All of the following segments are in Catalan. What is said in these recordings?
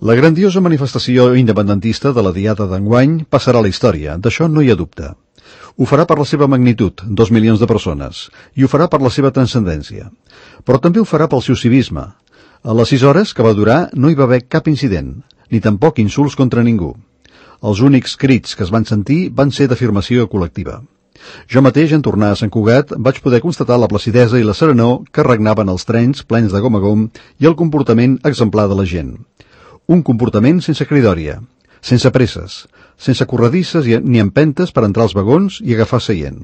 La grandiosa manifestació independentista de la Diada d'enguany passarà a la història, d'això no hi ha dubte. Ho farà per la seva magnitud, 2 milions de persones, i ho farà per la seva transcendència. Però també ho farà pel seu civisme. A les 6 hores que va durar no hi va haver cap incident, ni tampoc insults contra ningú. Els únics crits que es van sentir van ser d'afirmació col·lectiva. Jo mateix, en tornar a Sant Cugat, vaig poder constatar la placidesa i la serenor que regnaven els trens plens de gom a gom i el comportament exemplar de la gent. Un comportament sense cridòria, sense presses, sense corredisses ni empentes per entrar als vagons i agafar seient.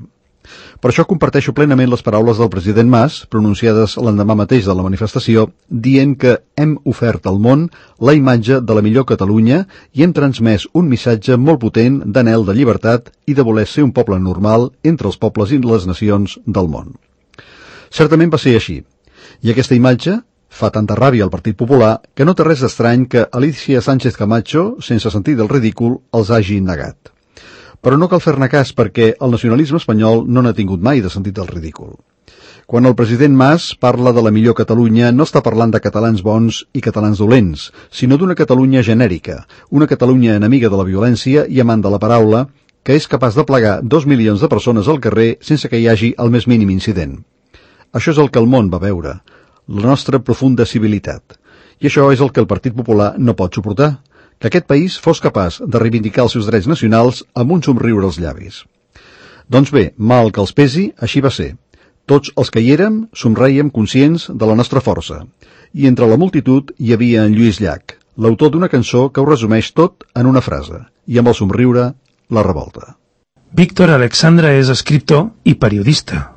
Per això comparteixo plenament les paraules del president Mas, pronunciades l'endemà mateix de la manifestació, dient que hem ofert al món la imatge de la millor Catalunya i hem transmès un missatge molt potent d'anhel de llibertat i de voler ser un poble normal entre els pobles i les nacions del món. Certament va ser així, i aquesta imatge fa tanta ràbia al Partit Popular que no té res d'estrany que Alicia Sánchez Camacho, sense sentir del ridícul, els hagi negat. Però no cal fer-ne cas perquè el nacionalisme espanyol no n'ha tingut mai de sentit del ridícul. Quan el president Mas parla de la millor Catalunya no està parlant de catalans bons i catalans dolents, sinó d'una Catalunya genèrica, una Catalunya enemiga de la violència i amant de la paraula, que és capaç de plegar 2 milions de persones al carrer sense que hi hagi el més mínim incident. Això és el que el món va veure, la nostra profunda civilitat. I això és el que el Partit Popular no pot suportar, que aquest país fos capaç de reivindicar els seus drets nacionals amb un somriure als llavis. Doncs bé, mal que els pesi, així va ser. Tots els que hi érem somreiem conscients de la nostra força. I entre la multitud hi havia en Lluís Llach, l'autor d'una cançó que ho resumeix tot en una frase, i amb el somriure, la revolta. Víctor Alexandra és escriptor i periodista.